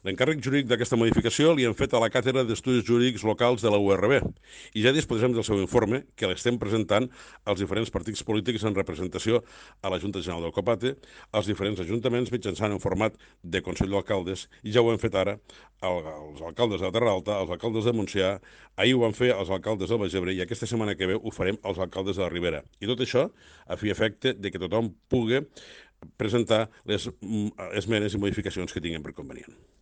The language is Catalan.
L'encàrrec jurídic d'aquesta modificació li han fet a la Càtedra d'Estudis Jurídics Locals de la URB i ja disposem del seu informe, que l'estem presentant als diferents partits polítics en representació a la Junta General del Copate, als diferents ajuntaments mitjançant en format de Consell d'Alcaldes, i ja ho hem fet ara als alcaldes de la Terra Alta, als alcaldes de Montsià, ahir ho van fer als alcaldes del Baix Ebre i aquesta setmana que ve ho farem als alcaldes de la Ribera. I tot això a fi i efecte de que tothom pugui presentar les esmenes i modificacions que tinguin per convenient.